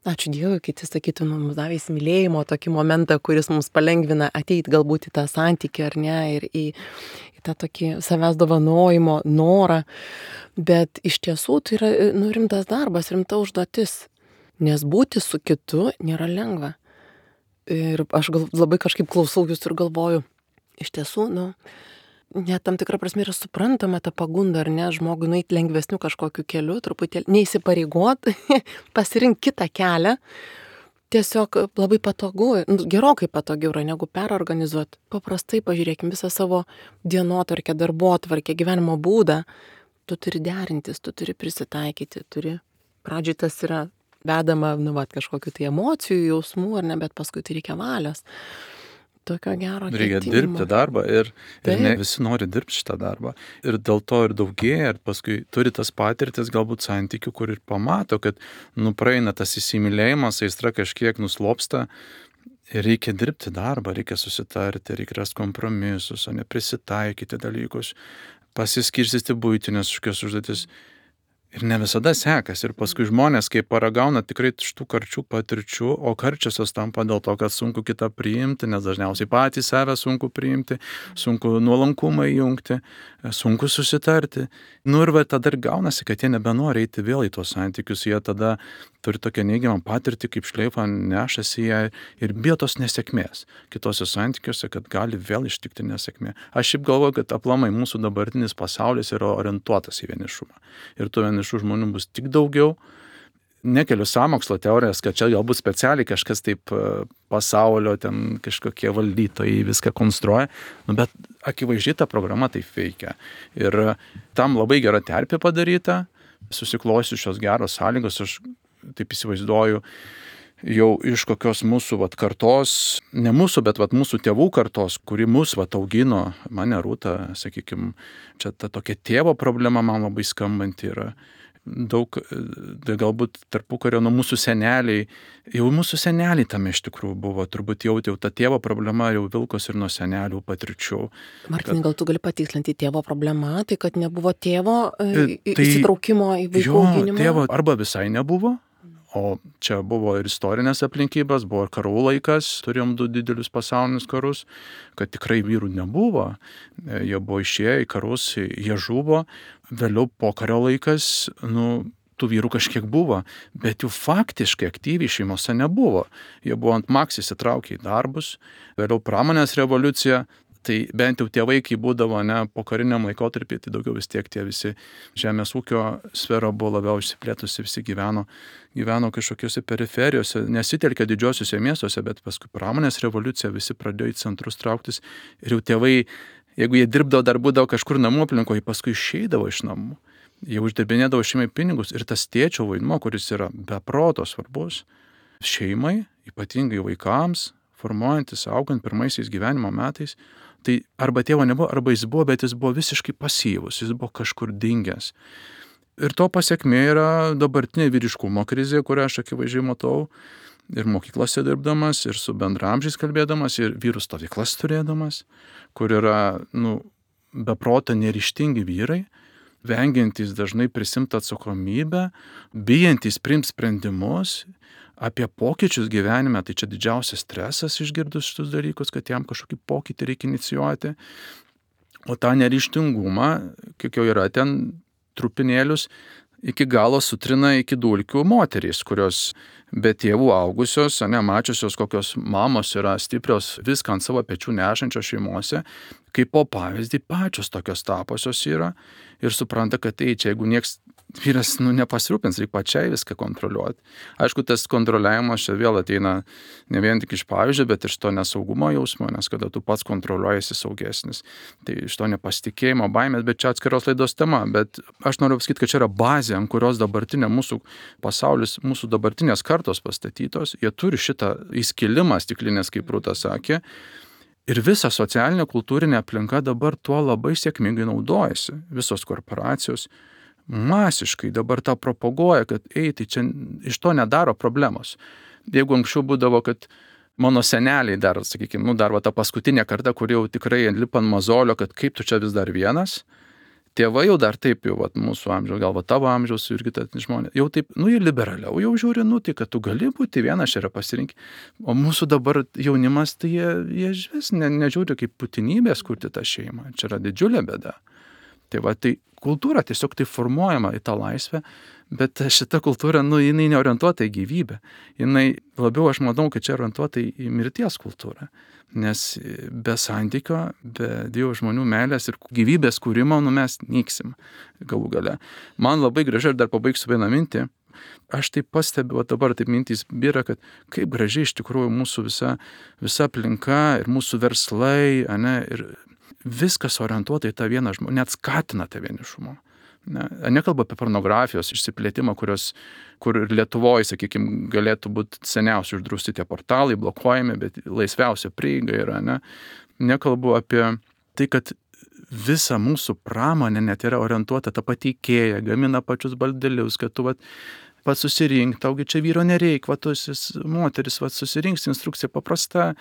Ačiū Dievui, kiti sakytų, mums davė įsimylėjimo tokį momentą, kuris mums palengvina ateiti galbūt į tą santykį, ar ne, ir į tą tokį savęs dovanojimo norą. Bet iš tiesų tai yra rimtas darbas, rimta užduotis, nes būti su kitu nėra lengva. Ir aš labai kažkaip klausau jūs ir galvoju, iš tiesų, net tam tikrą prasme yra suprantama ta pagunda, ar ne, žmogui nueiti lengvesniu kažkokiu keliu, truputėlį neįsipareigot, pasirinkti kitą kelią. Tiesiog labai patogu, gerokai patogiau yra negu perorganizuoti. Paprastai pažiūrėkim visą savo dienotvarkę, darbotvarkę, gyvenimo būdą. Tu turi derintis, tu turi prisitaikyti, pradžiai tas yra vedama, kažkokiu tai emocijų, jausmų, ar ne, bet paskui tai reikia valios. Tokio gero ketinimo. Reikia dirbti darbą ir ne visi nori dirbti šitą darbą. Ir dėl to ir daugėja, ir paskui turi tas patirtis galbūt santykių, kur ir pamato, kad praeina tas įsimylėjimas, aistra kažkiek nuslopsta. Ir reikia dirbti darbą, reikia susitarti, reikia rasti kompromisus, o ne prisitaikyti dalykus, pasiskirstyti buitinės kažkokias užduotis. Ir ne visada sekasi. Ir paskui žmonės, kai paragauna tikrai šitų karčių patirčių, o karčiosios tampa dėl to, kad sunku kitą priimti, nes dažniausiai patys save sunku priimti, sunku nuolankumą įjungti, sunku susitarti. Ir tada ir gaunasi, kad jie nebenori eiti vėl į tos santykius, jie tada turi tokią neigiamą patirtį, kaip šleifą nešasi ją ir bijo tos nesėkmės kitose santykiuose, kad gali vėl ištikti nesėkmė. Aš šiaip galvoju, kad aplamai mūsų dabartinis pasaulis yra orientuotas į vienišumą. Ir tų vienišų žmonių bus tik daugiau. Nekeliu sąmokslo teorijas, kad čia galbūt specialiai kažkas taip pasaulio, ten kažkokie valdytojai viską konstruoja, bet akivaizdžiai ta programa taip veikia. Ir tam labai gera terpė padaryta, susiklosius šios geros sąlygos, aš taip įsivaizduoju, jau iš kokios mūsų kartos, ne mūsų, bet mūsų tėvų kartos, kuri mus augino, mane Rūta, sakykime, čia ta tokia tėvo problema man labai skambanti yra. Daug, galbūt tarpukario nuo mūsų seneliai, jau mūsų seneliai tame iš tikrųjų buvo, turbūt jau ta tėvo problema jau vilkos ir nuo senelių patirčių. Martinai, gal tu gali patikslinti tėvo problemą, tai kad nebuvo tėvo įsitraukimo į vaikų auginimą? Tėvo arba visai nebuvo, o čia buvo ir istorinės aplinkybės, buvo ir karų laikas, turėjom 2 didelius pasaulinius karus, kad tikrai vyrų nebuvo, jie buvo išėję į karus, jie žuvo. Vėliau pokario laikas, tų vyrų kažkiek buvo, bet jų faktiškai aktyviai šeimose nebuvo. Jie buvo ant maks įsitraukę į darbus, vėliau pramonės revoliucija, tai bent jau tėvai, kai būdavo po kariniam laikotarpį, tai daugiau vis tiek tie visi žemės ūkio sfera buvo labiau išsiplėtusi, visi gyveno kažkokiuose periferijose, nesitelkė didžiosiuose miestuose, bet paskui pramonės revoliucija, visi pradėjo į centrus trauktis ir jau tėvai, jeigu jie dirbdavo, dar būdavo kažkur namų aplinkoje, paskui išeidavo iš namų. Jie uždirbinėdavo šeimai pinigus ir tas tėčio vaidmuo, kuris yra be proto svarbus šeimai, ypatingai vaikams, formuojantis, augant pirmaisiais gyvenimo metais, tai arba tėvo nebuvo, arba jis buvo, bet jis buvo visiškai pasyvus, jis buvo kažkur dingęs. Ir to pasiekmė yra dabartinė vyriškumo krizė, kurią aš akivaizdžiai matau, ir mokyklose dirbdamas, ir su bendramžiais kalbėdamas, ir vyrų stovyklas turėdamas, kur yra, beproto neryžtingi vyrai, vengiantys dažnai prisimti atsakomybę, bijantys priimti sprendimus apie pokyčius gyvenime, tai čia didžiausias stresas išgirdus šitus dalykus, kad jam kažkokį pokytį reikia inicijuoti. O tą neryžtingumą, kiek jau yra ten trupinėlius, iki galo sutrina iki dulkių moterys, kurios be tėvų augusios, mačiusios, kokios mamos yra stiprios, viską ant savo pečių nešančios šeimose, kaip po pavyzdį pačios tokios taposios yra ir supranta, kad čia jeigu nieks vyras nepasirūpins, reikia pačiai viską kontroliuoti. Aišku, tas kontroliavimas čia vėl ateina ne vien tik iš pavyzdžio, bet ir iš to nesaugumo jausmo, nes kada tu pats kontroliuojasi saugesnis. Tai iš to nepasitikėjimo, baimės, bet čia atskiros laidos tema. Bet aš noriu pasakyti, kad čia yra bazė, ant kurios dabartinė mūsų pasaulis, mūsų dabartinės kartos pastatytos. Jie turi šitą įskilimą stiklinės, kaip Rūta sakė. Ir visa socialinė kultūrinė aplinka dabar tuo labai sėkmingai naudojasi. Visos korporacijos masiškai dabar tą propaguoja, kad tai čia iš to nedaro problemos. Jeigu anksčiau būdavo, kad mano seneliai dar, sakykime, dar ta paskutinė karta, kur jau tikrai lipa ant mazolio, kad kaip tu čia vis dar vienas, tėvai jau dar taip jau, mūsų amžiaus, gal tavo amžiaus ir kitas žmonės, jau taip, jie liberaliau jau žiūri, tai kad tu gali būti vienas, čia yra pasirinkti. O mūsų dabar jaunimas, tai jie vis nežiūri kaip būtinybės kurti tą šeimą. Čia yra didžiulė bėda. Tai kultūra tiesiog tai formuojama į tą laisvę, bet šita kultūra, jinai neorientuota į gyvybę. Jinai labiau, aš manau, kad čia orientuota į mirties kultūrą. Nes be santykio, be Dievo žmonių meilės ir gyvybės kūrimo, mes nyksim galų gale. Man labai gražiai, ir dar pabaigsiu vieną mintį, aš taip pastebiu, dabar taip mintys byra, kad kaip gražiai iš tikrųjų mūsų visa aplinka ir mūsų verslai, ir viskas orientuota į tą vieną žmogų, net skatina tą vienišumą. Nekalba apie pornografijos išsiplėtimą, kur ir Lietuvoje, sakykime, galėtų būti seniausiai uždrausti tie portalai, blokuojami, bet laisviausia prieiga yra. Nekalbu apie tai, kad visa mūsų pramonė net yra orientuota tą patį IKEA, gamina pačius baldelius, kad tu pats susirink, taugi čia vyro nereik, moteris susirinks, instrukcija paprasta,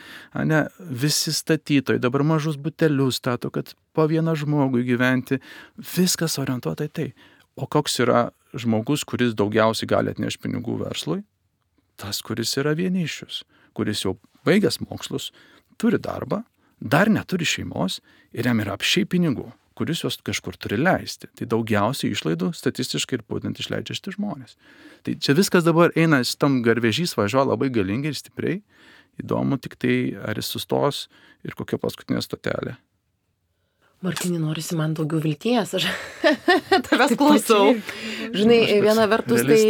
visi statytojai dabar mažus butelius stato, kad po vieną žmogų gyventi, viskas orientuota į tai. O koks yra žmogus, kuris daugiausiai gali atnešti pinigų verslui? Tas, kuris yra vienišius, kuris jau baigęs mokslus, turi darbą, dar neturi šeimos ir jam yra apšiai pinigų, kuris jos kažkur turi leisti. Tai daugiausiai išlaidų statistiškai ir būtent išleidžia šitie žmonės. Tai čia viskas dabar eina, šitam garvežys važiuoja labai galingai ir stipriai. Įdomu tik tai, ar jis sustos ir kokia paskutinė stotelė. Martinai, norisi man daugiau vilties, aš tavęs klausau. Žinai, viena vertus tai,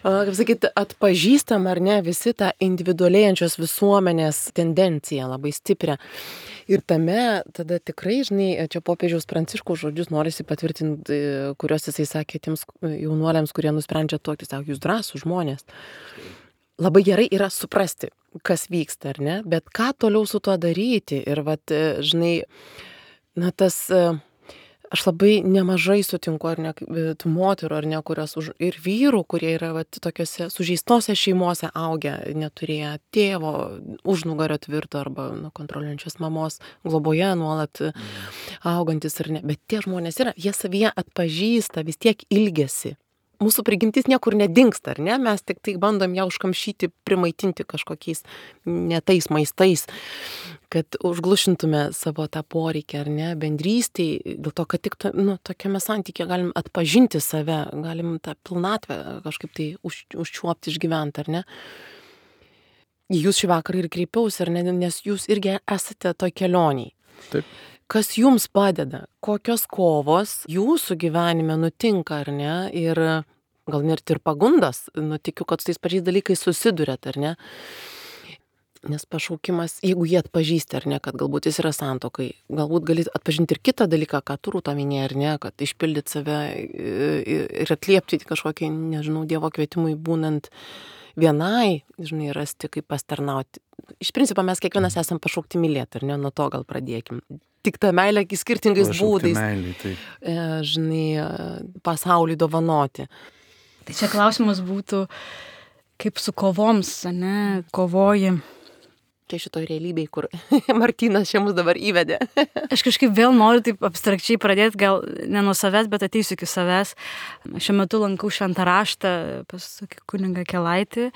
kaip sakyti, atpažįstam ar ne visi tą individualėjančios visuomenės tendenciją labai stiprią. Ir tame tada tikrai, žinai, čia popiežiaus Pranciškaus žodžius norisi patvirtinti, kuriuos jisai sakė tiems jaunuoliams, kurie nusprendžia tuoktis, sako, jūs drąsūs žmonės. Labai gerai yra suprasti, kas vyksta, ar ne, bet ką toliau su tuo daryti. Ir žinai, tas, aš labai nemažai sutinku, ar ne, tų moterų, ar ne, kurios ir vyrų, kurie yra tokiose sužeistose šeimose augę, neturėję tėvo, užnugario tvirto arba kontroliuojančios mamos globoje nuolat augantis, ar ne. Bet tie žmonės yra, jie savyje atpažįsta, vis tiek ilgesi. Mūsų prigimtis niekur nedingsta, ar ne? Mes tik tai bandom ją užkamšyti, primaitinti kažkokiais netais maistais, kad užglušintume savo tą poreikį, ar ne, bendrystėj, dėl to, kad tik tokiame santykė galim atpažinti save, galim tą pilnatvę kažkaip tai užčiuopti, išgyventi, ar ne? Jūs šį vakarą ir kreipiausi, ar ne, nes jūs irgi esate toj kelioniai. Taip. Kas jums padeda, kokios kovos jūsų gyvenime nutinka, ar ne, ir gal net ir pagundas, tikiu, kad su tais pačiais dalykais susiduriat, ar ne, nes pašaukimas, jeigu jie atpažįsti, ar ne, kad galbūt jis yra santuokai, galbūt gali atpažinti ir kitą dalyką, ką tu Rūta minėjai, ar ne, kad išpildyti save ir atliepti kažkokį, nežinau, Dievo kvietimui būnant vienai, žinai, rasti, kaip pastarnauti. Iš principo mes kiekvienas esam pašaukti mylėti, ar ne, nuo to gal pradėkim. Tik ta meilė skirtingais Pašaukti būdais, meilei, taip. žinai, pasauliui dovanoti. Tai čia klausimas būtų, kaip su kovoms, ne, kovoji. Čia šitoj realybėj, kur Martynas čia mus dabar įvedė. Aš kažkaip vėl noriu taip abstrakčiai pradėti, gal ne nuo savęs, bet ateisiu iki savęs. Šiuo metu lankau šventą raštą pas kunigą Kelaitį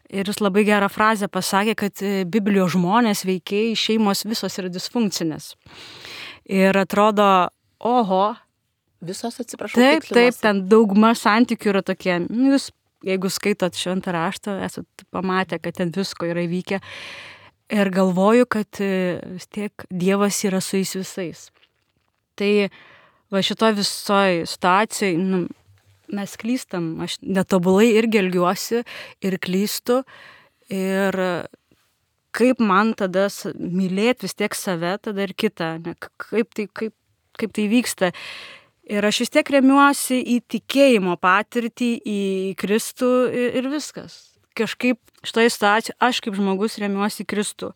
ir jis labai gerą frazę pasakė, kad Biblijos žmonės, veikėjai, šeimos visos yra disfunkcinės. Ir atrodo, oho. Visos, atsiprašau. Taip, ten dauguma santykių yra tokie. Jūs, jeigu skaitot šventą raštą, esate pamatę, kad ten visko yra įvykę. Ir galvoju, kad vis tiek Dievas yra su jais visais. Tai va šitoj visoj situacijai, mes klystam, aš netobulai irgi elgiuosi ir klystu. Ir kaip man tada mylėti vis tiek save, tada ir kitą, ne? Kaip tai vyksta. Ir aš vis tiek remiuosi į tikėjimo patirtį, į Kristų ir viskas. Kažkaip šitoje situacijoje aš kaip žmogus remiuosi į Kristų.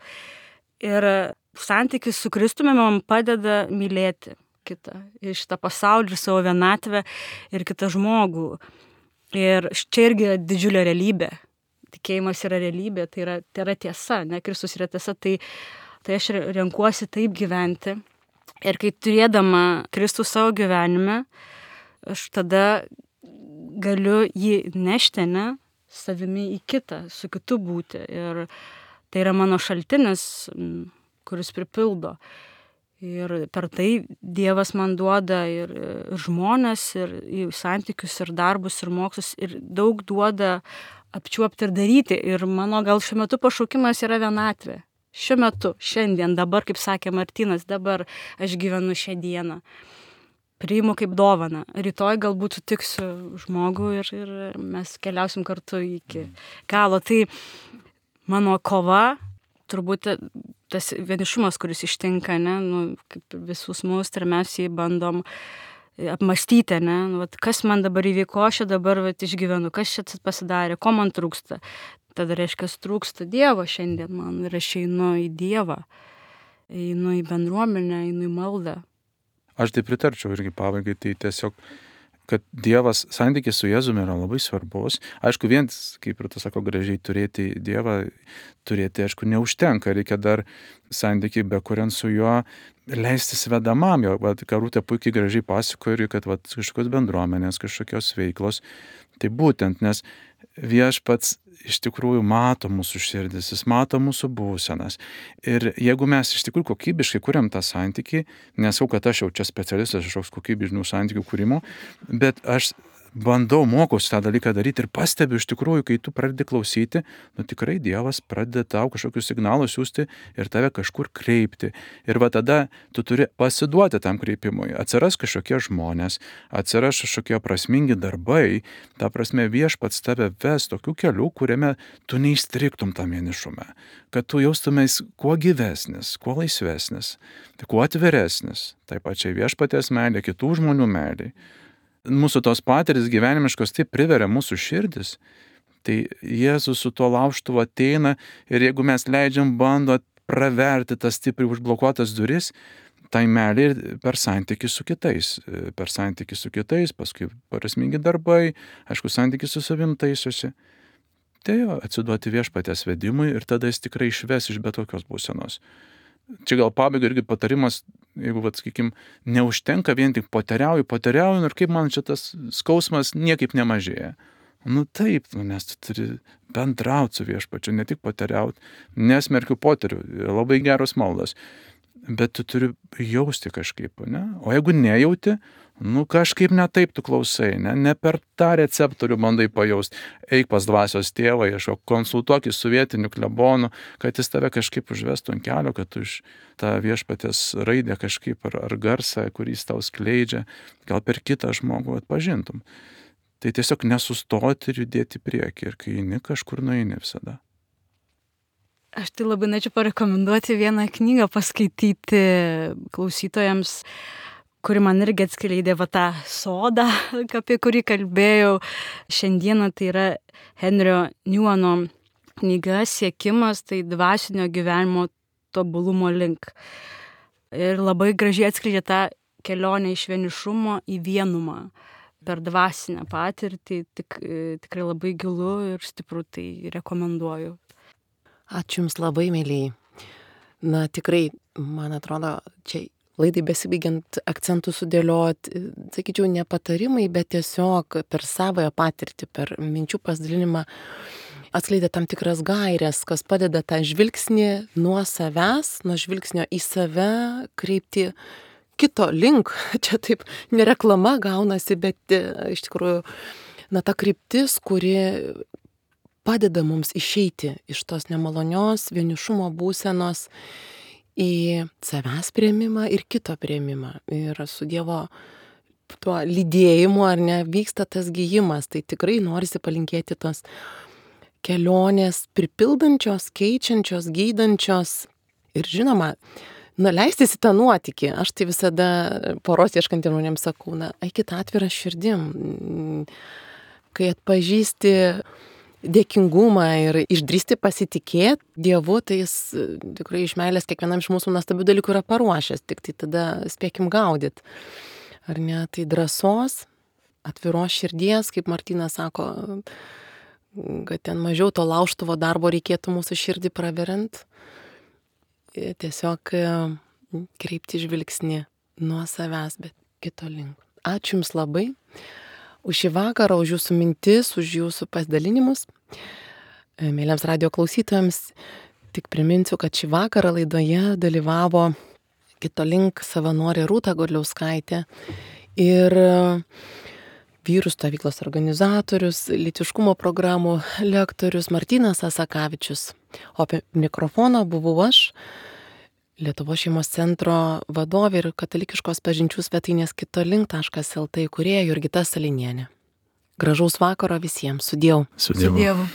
Ir santykis su Kristumi man padeda mylėti kitą, ir šitą pasaulį, ir savo vienatvę, ir kitą žmogų. Ir čia irgi yra didžiulė realybė. Tikėjimas yra realybė, tai yra tiesa, ne, Kristus yra tiesa, tai aš renkuosi taip gyventi. Ir kai turėdama Kristų savo gyvenime, aš tada galiu jį nešti, ne, savimi į kitą, su kitu būti. Ir tai yra mano šaltinis, kuris pripildo. Ir per tai Dievas man duoda ir žmonės, ir santykius, ir darbus, ir mokslus, ir daug duoda apčiuopti ir daryti. Ir mano gal šiuo metu pašaukimas yra vienatvė. Šiuo metu, šiandien, dabar, kaip sakė Martynas, dabar aš gyvenu šią dieną. Priimu kaip dovaną. Rytoj galbūt sutiksiu žmogų ir mes keliausim kartu iki galo. Tai mano kova, turbūt tas vienišumas, kuris ištinka, ne, kaip visus mus, ir mes jį bandom apmastyti, ne, kas man dabar įvyko, aš dabar išgyvenu, kas čia pasidarė, ko man trūksta. Tada reiškia, trūksta Dievo šiandien man ir aš einu į Dievą, einu į bendruomenę, einu į maldą. Aš tai pritarčiau irgi pabaigai, tai tiesiog, kad Dievas, santykis su Jėzumi yra labai svarbus. Aišku, vien, kaip ir tu sako, gražiai turėti Dievą, aišku, neužtenka, reikia dar santykį, be kuriant su juo leistis vedamam. Jo, Karūtė puikiai gražiai pasakojo ir kad kažkokios bendruomenės, kažkokios veiklos. Tai būtent, nes Viešpats iš tikrųjų mato mūsų širdis, jis mato mūsų būsenas. Ir jeigu mes iš tikrųjų kokybiškai kuriam tą santykį, nesau, kad aš jau čia specialistas kažkoks kokybiškų santykių kūrimo, bet aš bandau, mokausi tą dalyką daryti ir pastebiu iš tikrųjų, kai tu pradedi klausyti, tikrai Dievas pradeda tau kažkokius signalus siūsti ir tave kažkur kreipti. Ir va tada tu turi pasiduoti tam kreipimui. Atsiras kažkokie žmonės, atsiras kažkokie prasmingi darbai, ta prasme Viešpats tave ves tokiu keliu, kuriame tu neįstriktum tam vienišume, kad tu jaustumės kuo gyvesnis, kuo laisvesnis, kuo atviresnis, taip pačiai Viešpaties meilė, kitų žmonių meilė. Mūsų tos patirtys gyvenimiškos taip priveria mūsų širdis, tai Jėzus su tuo laužtuvu ateina ir jeigu mes leidžiam bando praverti tas stipriai užblokuotas duris, tai meilė ir per santykį su kitais, paskui prasmingi darbai, aišku, santykis su savim taisosi. Tai jo, atsiduoti Viešpaties vedimui ir tada jis tikrai išves iš bet kokios būsenos. Čia gal pabaiga irgi patarimas, jeigu, sakykim, neužtenka vien tik poteriauju ir kaip man šitas skausmas niekaip nemažėja. Taip, nes tu turi bendrauti su Viešpačiu, ne tik poteriauti, nesmerkiu poterių, labai geros maldos, bet tu turi jausti kažkaip, ne? O jeigu nejauti, kažkaip ne taip tu klausai, ne per tą receptorių bandai pajausti. Eik pas dvasios tėvą, ieškok, konsultuokis su vietiniu klebonu, kad jis tave kažkaip užvestų ant kelio, kad tu iš tą Viešpaties raidę kažkaip ar garsą, kurį jis tau skleidžia, gal per kitą žmogų atpažintum. Tai tiesiog nesustoti ir judėti į priekį ir kai eini, kažkur nueini visada. Aš tai labai norėčiau parekomenduoti vieną knygą paskaityti klausytojams, kuri man irgi atskleidė va tą sodą, apie kurį kalbėjau šiandieną, tai yra Henrio Newmano knyga Siekimas, tai dvasinio gyvenimo tobulumo link. Ir labai gražiai atskleidžia tą kelionę iš vienišumo į vienumą per dvasinę patirtį. Tikrai labai gilu ir stipru, tai rekomenduoju. Ačiū Jums labai, mėlyjei. Na tikrai, man atrodo, čia laidai besibaigiant akcentų sudėlioti, sakyčiau, ne patarimai, bet tiesiog per savoją patirtį, per minčių pasidalinimą atskleidė tam tikras gaires, kas padeda tą žvilgsnį nuo savęs, nuo žvilgsnio į save kreipti kito link. Čia taip nereklama gaunasi, bet iš tikrųjų, na, ta kryptis, kuri padeda mums išeiti iš tos nemalonios vienišumo būsenos į savęs priėmimą ir kito priėmimą. Ir su Dievo tuo lydėjimu, ar ne, vyksta tas gijimas. Tai tikrai norisi palinkėti tos kelionės pripildančios, keičiančios, gydančios ir žinoma, leistis į tą nuotykį. Aš tai visada poros ieškantiem žmonėms sakau, eikit atvirą širdim. Kai atpažįsti dėkingumą ir išdrįsti pasitikėti Dievu, tai jis tikrai iš meilės kiekvienam iš mūsų nuostabių dalykų yra paruošęs, tik tai tada spėkim gaudyti. Ar ne? Tai drąsos, atviros širdies, kaip Martynas sako, kad ten mažiau to laužtuvo darbo reikėtų mūsų širdį praveriant. Tiesiog kreipti žvilgsnį nuo savęs, bet kito link. Ačiū Jums labai už šį vakarą, už Jūsų mintis, už Jūsų pasidalinimus. Mėlyms radijo klausytojams tik priminsiu, kad šį vakarą laidoje dalyvavo Kito link savanorė Rūta Godliauskaitė ir vyrų stovyklos organizatorius, lytiškumo programų lektorius Martynas Asakavičius. O apie mikrofoną buvau aš, Lietuvos šeimos centro vadovė ir katalikiškos pažinčių svetainės kitolink.lt įkūrėja Jurgita Salinienė. Gražaus vakaro visiems. Sudieu. Su Dievu.